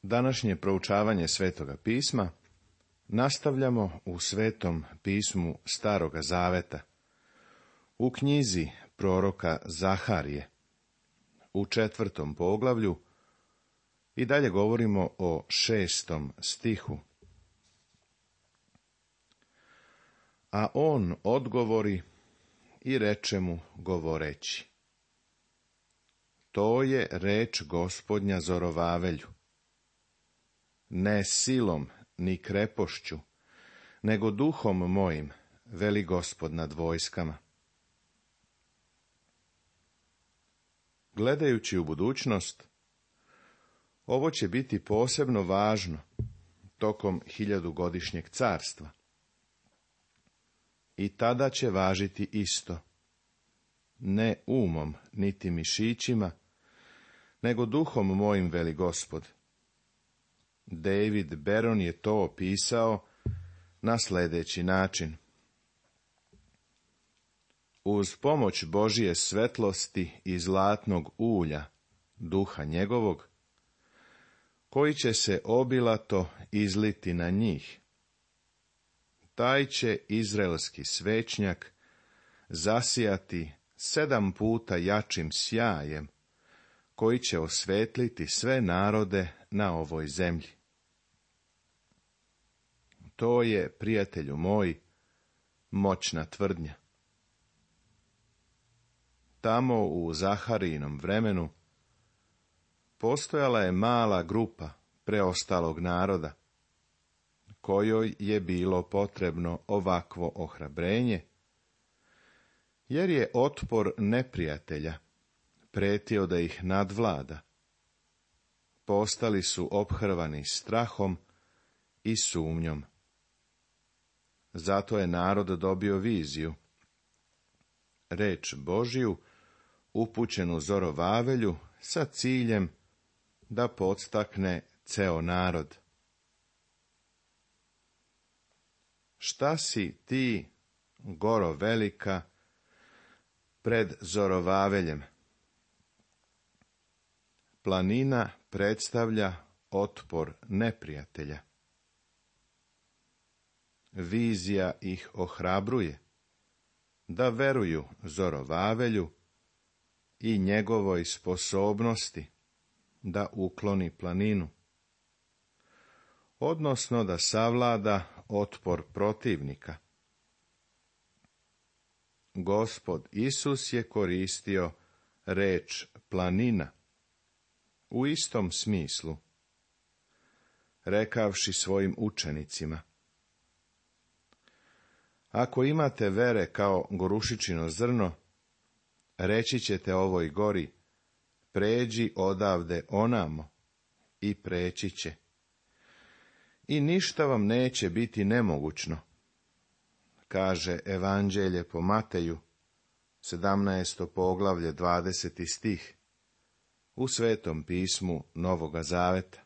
Današnje proučavanje Svetoga pisma nastavljamo u Svetom pismu Staroga zaveta, u knjizi proroka Zaharije, u 4. poglavlju, i dalje govorimo o 6. stihu. A on odgovori i reče mu govoreći: to je reč Gospodnja Zorovavelju. Ne silom ni krepošću, nego duhom mojim, veli Gospod nad vojskama. Gledajući u budućnost, ovo će biti posebno važno tokom 1000-godišnjeg carstva. I tada će važiti isto, ne umom niti mišićima, nego duhom mojim, veli Gospod. David Beron je to opisao na sljedeći način: uz pomoć Božije svetlosti i zlatnog ulja, duha njegovog, koji će se obilato izliti na njih, taj će izraelski svećnjak zasijati 7 puta jačim sjajem, koji će osvetliti sve narode na ovoj zemlji. To je, prijatelju moj, moćna tvrdnja. Tamo u Zaharijinom vremenu postojala je mala grupa preostalog naroda, kojoj je bilo potrebno ovakvo ohrabrenje, jer je otpor neprijatelja pretio da ih nadvlada. Postali su ophrvani strahom i sumnjom. Zato je narod dobio viziju, reč Božju upućenu Zorovavelju sa ciljem da podstakne ceo narod. Šta si ti, goro velika, pred Zorovaveljem? Planina predstavlja otpor neprijatelja. Vizija ih ohrabruje da veruju Zorovavelju i njegovoj sposobnosti da ukloni planinu, odnosno da savlada otpor protivnika. Gospod Isus je koristio reč planina u istom smislu, rekavši svojim učenicima: ako imate vere kao gorušičino zrno, reći ćete ovoj gori: pređi odavde onamo, i preći će. I ništa vam neće biti nemogućno, kaže Evanđelje po Mateju, 17. poglavlje, 20. stih, u Svetom pismu Novoga zaveta.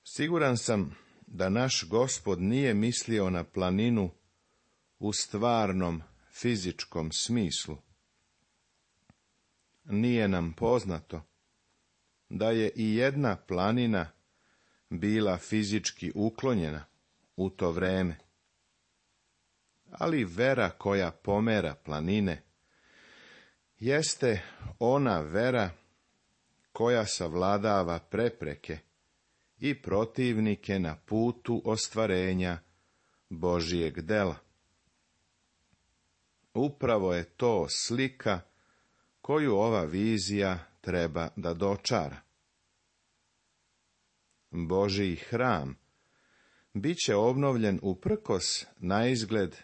Siguran sam da naš Gospod nije mislio na planinu u stvarnom fizičkom smislu. Nije nam poznato da je i jedna planina bila fizički uklonjena u to vreme. Ali vera koja pomera planine jeste ona vera koja savladava prepreke i protivnike na putu ostvarenja Božijeg dela. Upravo je to slika koju ova vizija treba da dočara. Božiji hram bit će obnovljen uprkos naizgled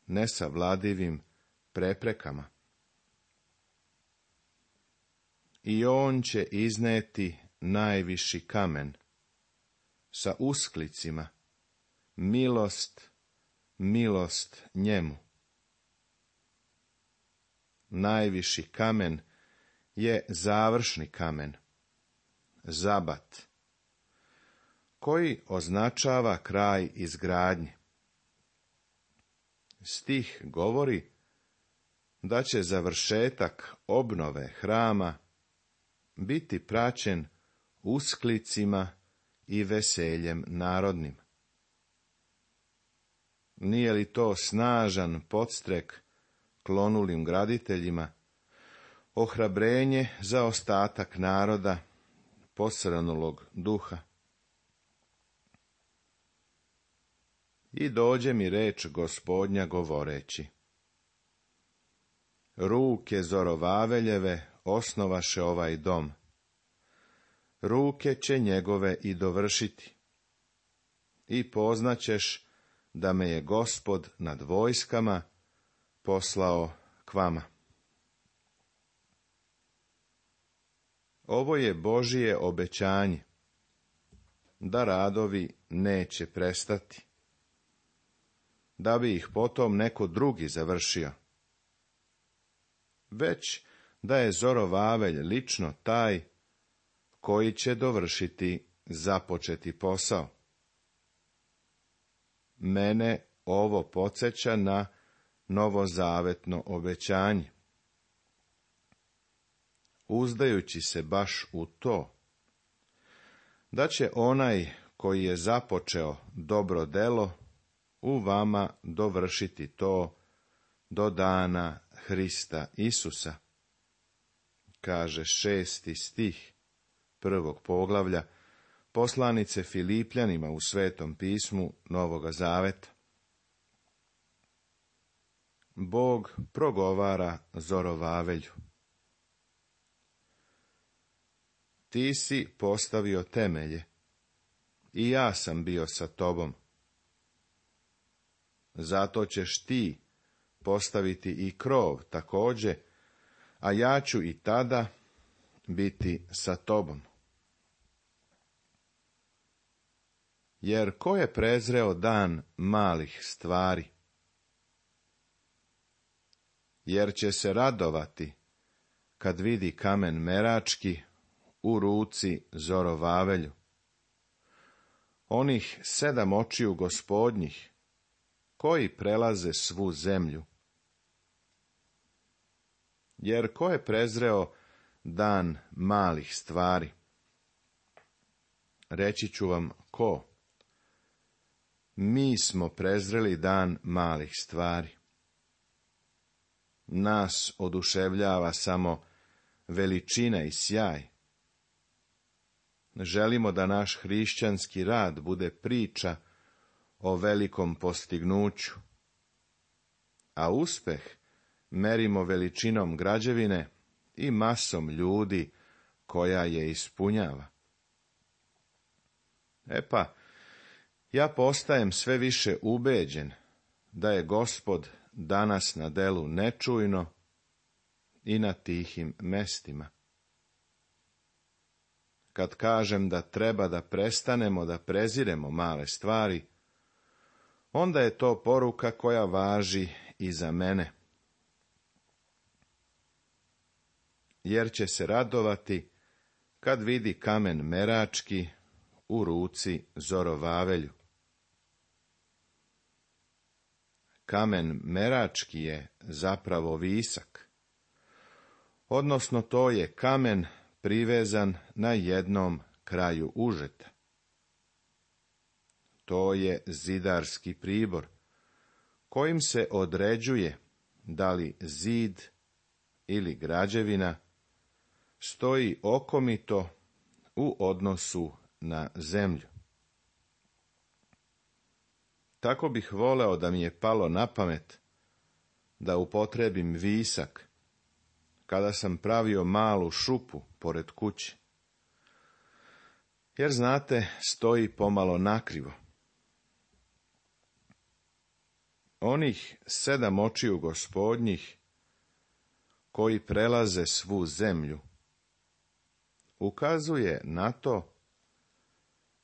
nesavladivim preprekama. I on će izneti najviši kamen sa usklicima: milost, milost njemu. Najviši kamen je završni kamen, zabat, koji označava kraj izgradnje. Stih govori da će završetak obnove hrama biti praćen usklicima i veseljem narodnim. Nije li to snažan podstrek klonulim graditeljima, ohrabrenje za ostatak naroda posrnulog duha? I dođe mi reč Gospodnja govoreći: ruke Zorovaveljeve osnovaše ovaj dom, ruke će njegove i dovršiti, i poznaćeš da me je Gospod nad vojskama poslao k vama. Ovo je Božije obećanje, da radovi neće prestati, da bi ih potom neko drugi završio, već da je Zorovavelj lično taj koji će dovršiti započeti posao. Mene ovo podsjeća na novozavetno obećanje. Uzdajući se baš u to, da će onaj koji je započeo dobro delo u vama dovršiti to do dana Hrista Isusa, kaže 6. stih 1. poglavlja poslanice Filipljanima u Svetom pismu Novoga Zaveta. Bog progovara Zorovavelju: ti si postavio temelje, i ja sam bio sa tobom. Zato ćeš ti postaviti i krov također, a ja ću i tada biti sa tobom. Jer ko je prezreo dan malih stvari? Jer će se radovati kad vidi kamen merački u ruci Zorovavelju. Onih 7 očiju Gospodnjih, koji prelaze svu zemlju. Jer ko je prezreo dan malih stvari? Reći ću vam ko. Mi smo prezreli dan malih stvari. Nas oduševljava samo veličina i sjaj. Želimo da naš hrišćanski rad bude priča o velikom postignuću, a uspeh merimo veličinom građevine i masom ljudi koja je ispunjava. Ja postajem sve više ubeđen da je Gospod danas na delu nečujno i na tihim mestima. Kad kažem da treba da prestanemo da preziremo male stvari, onda je to poruka koja važi i za mene. Jer će se radovati kad vidi kamen merački u ruci Zorovavelju. Kamen merački je zapravo visak, odnosno to je kamen privezan na jednom kraju užeta. To je zidarski pribor, kojim se određuje da li zid ili građevina stoji okomito u odnosu na zemlju. Tako bih voleo da mi je palo na pamet da upotrebim visak kada sam pravio malu šupu pored kuće. Jer znate, stoji pomalo nakrivo. Onih 7 očiju Gospodnjih koji prelaze svu zemlju ukazuje na to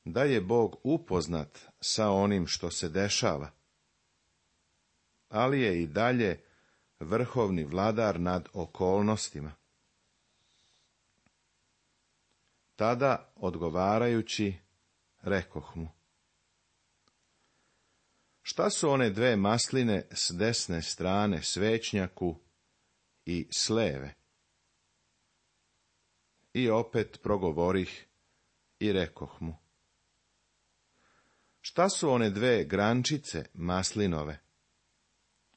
da je Bog upoznat sa onim što se dešava, ali je i dalje vrhovni vladar nad okolnostima. Tada, odgovarajući, rekoh mu: šta su one 2 masline s desne strane svećnjaku i s leve? I opet progovorih i rekoh mu: Šta su one 2 grančice maslinove,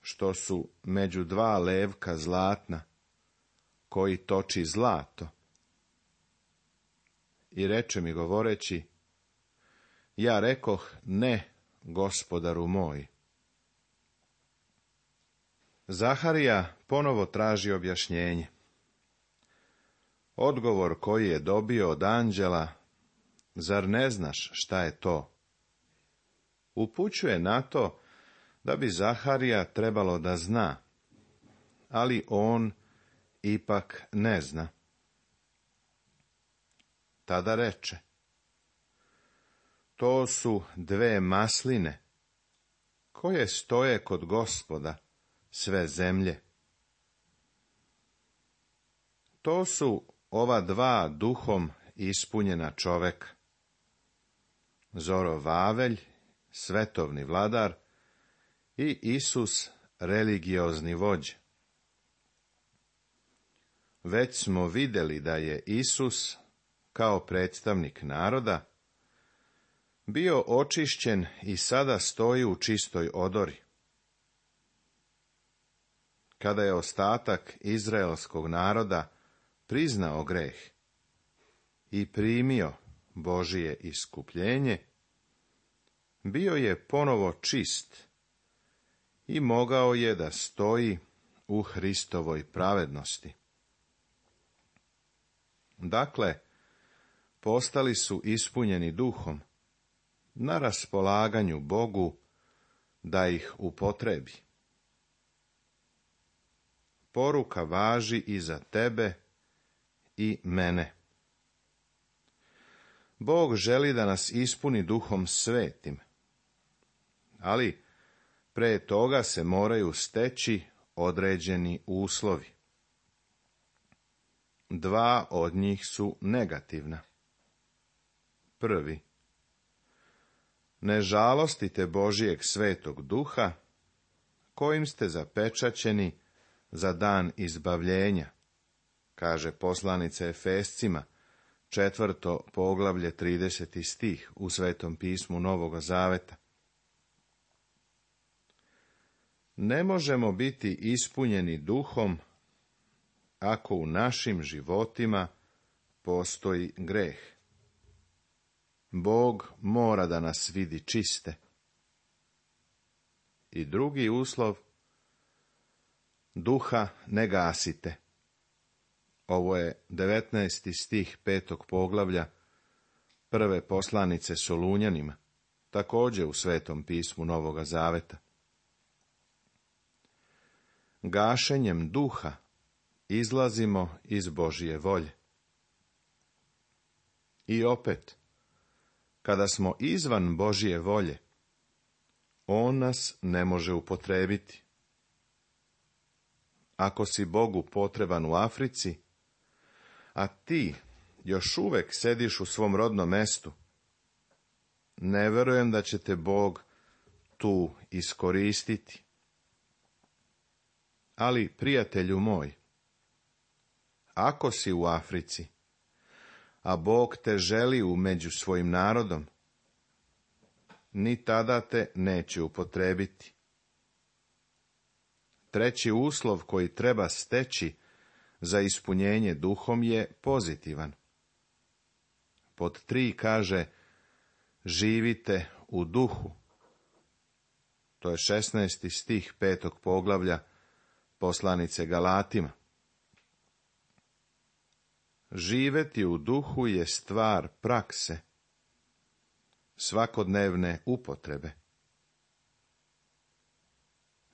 što su među 2 levka zlatna, koji toči zlato? I reče mi govoreći: Ja rekoh: Ne, gospodaru moj. Zaharija ponovo traži objašnjenje. Odgovor koji je dobio od anđela: Zar ne znaš šta je to? Upućuje na to da bi Zaharija trebalo da zna, ali on ipak ne zna. Tada reče: To su 2 masline, koje stoje kod Gospoda sve zemlje. To su ova 2 duhom ispunjena čoveka: Zorovavelj, svetovni vladar, i Isus, religiozni vođa. Već smo vidjeli da je Isus, kao predstavnik naroda, bio očišćen i sada stoji u čistoj odori. Kada je ostatak izraelskog naroda priznao greh i primio Božije iskupljenje, bio je ponovo čist i mogao je da stoji u Hristovoj pravednosti. Dakle, postali su ispunjeni duhom, na raspolaganju Bogu da ih upotrebi. Poruka važi i za tebe i mene. Bog želi da nas ispuni Duhom Svetim, ali pre toga se moraju steći određeni uslovi. 2 od njih su negativna. Prvi: ne žalostite Božijeg Svetog Duha, kojim ste zapečaćeni za dan izbavljenja, kaže poslanica Efescima, 4. poglavlje, 30. stih u Svetom pismu Novoga Zaveta. Ne možemo biti ispunjeni duhom ako u našim životima postoji greh. Bog mora da nas vidi čiste. I drugi uslov: duha ne gasite. Ovo je 19. stih 5. poglavlja prve poslanice Solunjanima, također u Svetom pismu Novoga Zaveta. Gašenjem duha izlazimo iz Božije volje. I opet, kada smo izvan Božije volje, on nas ne može upotrebiti. Ako si Bogu potreban u Africi, a ti još uvek sediš u svom rodnom mestu, ne verujem da će te Bog tu iskoristiti. Ali, prijatelju moj, ako si u Africi, a Bog te želi među svojim narodom, ni tada te neće upotrebiti. Treći uslov koji treba steći za ispunjenje duhom je pozitivan. Pod 3 kaže: živite u duhu. To je 16. stih 5. poglavlja poslanice Galatima. Živeti u duhu je stvar prakse, svakodnevne upotrebe.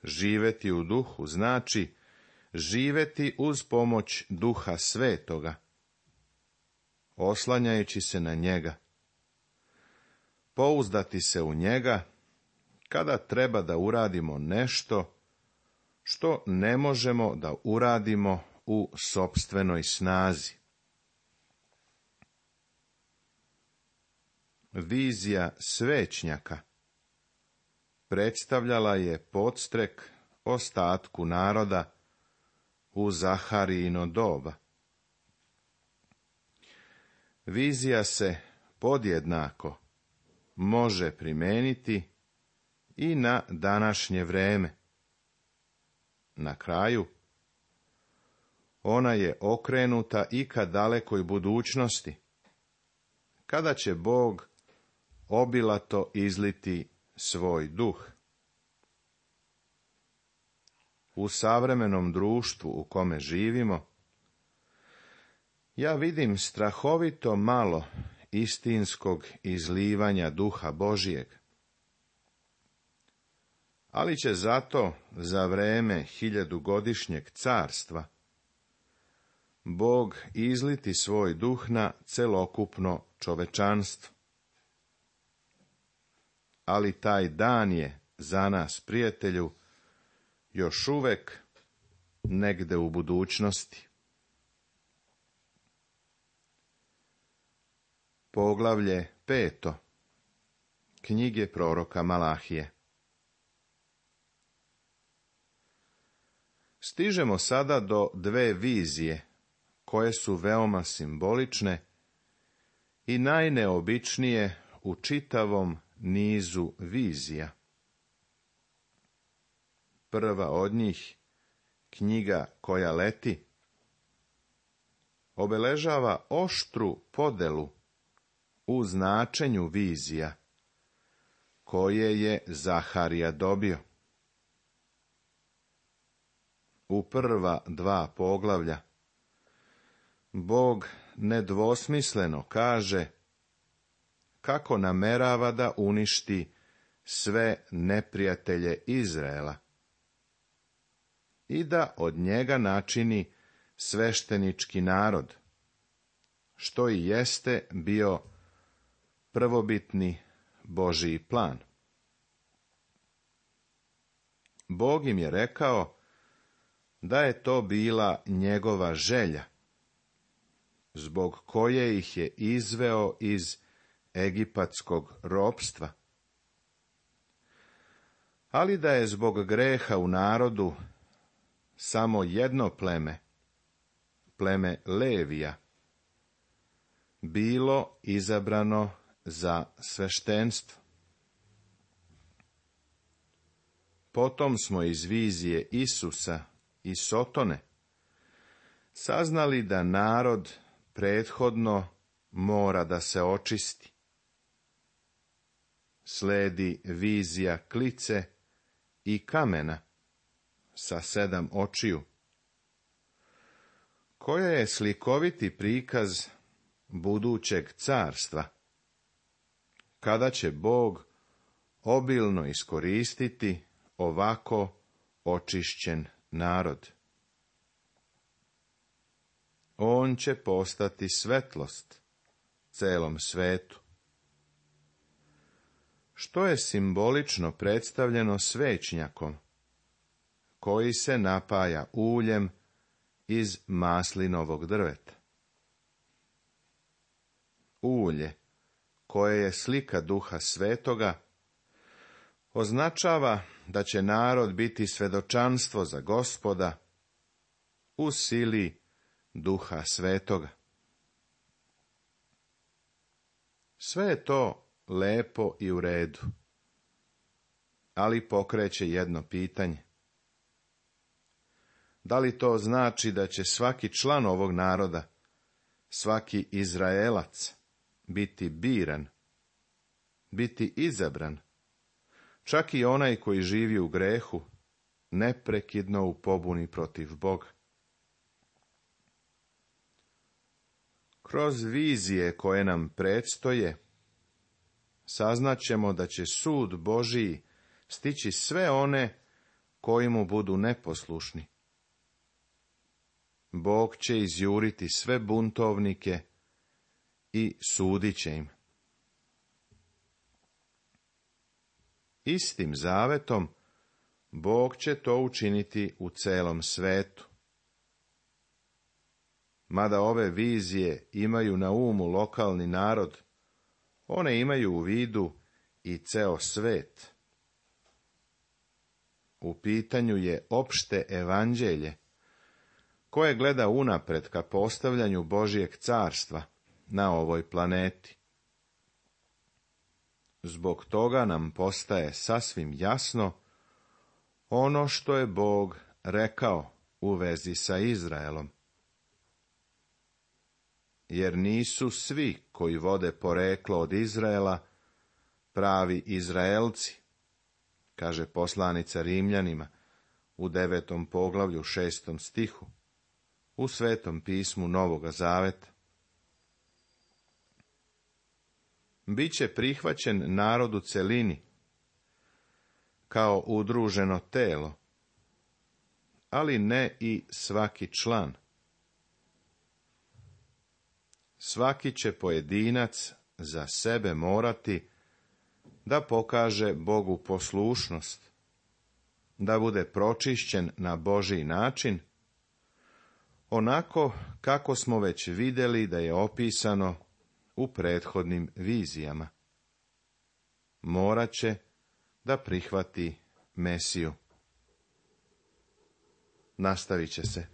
Živeti u duhu znači živeti uz pomoć Duha Svetoga, oslanjajući se na njega, pouzdati se u njega kada treba da uradimo nešto što ne možemo da uradimo u sopstvenoj snazi. Vizija svećnjaka predstavljala je podstrek ostatku naroda u Zaharijino doba. vizija se podjednako može primijeniti i na današnje vreme. Na kraju, ona je okrenuta i ka dalekoj budućnosti, kada će Bog obilato izliti svoj duh. U savremenom društvu u kome živimo, ja vidim strahovito malo istinskog izlivanja duha Božijeg. Ali će zato za vreme 1000-godišnjeg carstva Bog izliti svoj duh na celokupno čovečanstvo. Ali taj dan je za nas, prijatelju, još uvek negde u budućnosti. Poglavlje 5. Knjige proroka Malahije. Stižemo sada do dve vizije, koje su veoma simbolične i najneobičnije u čitavom nizu vizija. Prva od njih, knjiga koja leti, obeležava oštru podelu u značenju vizija, koje je Zaharija dobio. U prva 2 poglavlja Bog nedvosmisleno kaže kako namerava da uništi sve neprijatelje Izraela i da od njega načini sveštenički narod, što i jeste bio prvobitni Božji plan. Bog im je rekao da je to bila njegova želja, zbog koje ih je izveo iz egipatskog ropstva, ali da je zbog greha u narodu samo jedno pleme, pleme Levija, bilo izabrano za sveštenstvo. Potom smo iz vizije Isusa i Sotone saznali da narod prethodno mora da se očisti. Sledi vizija klice i kamena sa 7 očiju, koja je slikoviti prikaz budućeg carstva, kada će Bog obilno iskoristiti ovako očišćen narod. On će postati svetlost celom svetu, što je simbolično predstavljeno svećnjakom, koji se napaja uljem iz maslinovog drveta. Ulje, koje je slika Duha Svetoga, označava da će narod biti svedočanstvo za Gospoda u sili Duha Svetoga. Sve je to lepo i u redu, ali pokreće jedno pitanje. Da li to znači da će svaki član ovog naroda, svaki Izraelac, biti biran, biti izabran, čak i onaj koji živi u grehu, neprekidno u pobuni protiv Boga? Kroz vizije koje nam predstoje, saznaćemo da će sud Božiji stići sve one koji mu budu neposlušni. Bog će izjuriti sve buntovnike i sudit će im. Istim zavetom Bog će to učiniti u celom svetu. Mada ove vizije imaju na umu lokalni narod, one imaju u vidu i ceo svet. U pitanju je opšte evanđelje, koje gleda unapred ka postavljanju Božijeg carstva na ovoj planeti. Zbog toga nam postaje sasvim jasno ono što je Bog rekao u vezi sa Izraelom. Jer nisu svi koji vode poreklo od Izraela pravi Izraelci, kaže poslanica Rimljanima u 9. poglavlju 6. stihu, u Svetom pismu Novoga Zaveta. Biće prihvaćen narod u celini, kao udruženo telo, ali ne i svaki član. Svaki će pojedinac za sebe morati da pokaže Bogu poslušnost, da bude pročišćen na Božji način, onako kako smo već vidjeli da je opisano u prethodnim vizijama. Morat će da prihvati Mesiju. Nastavit će se.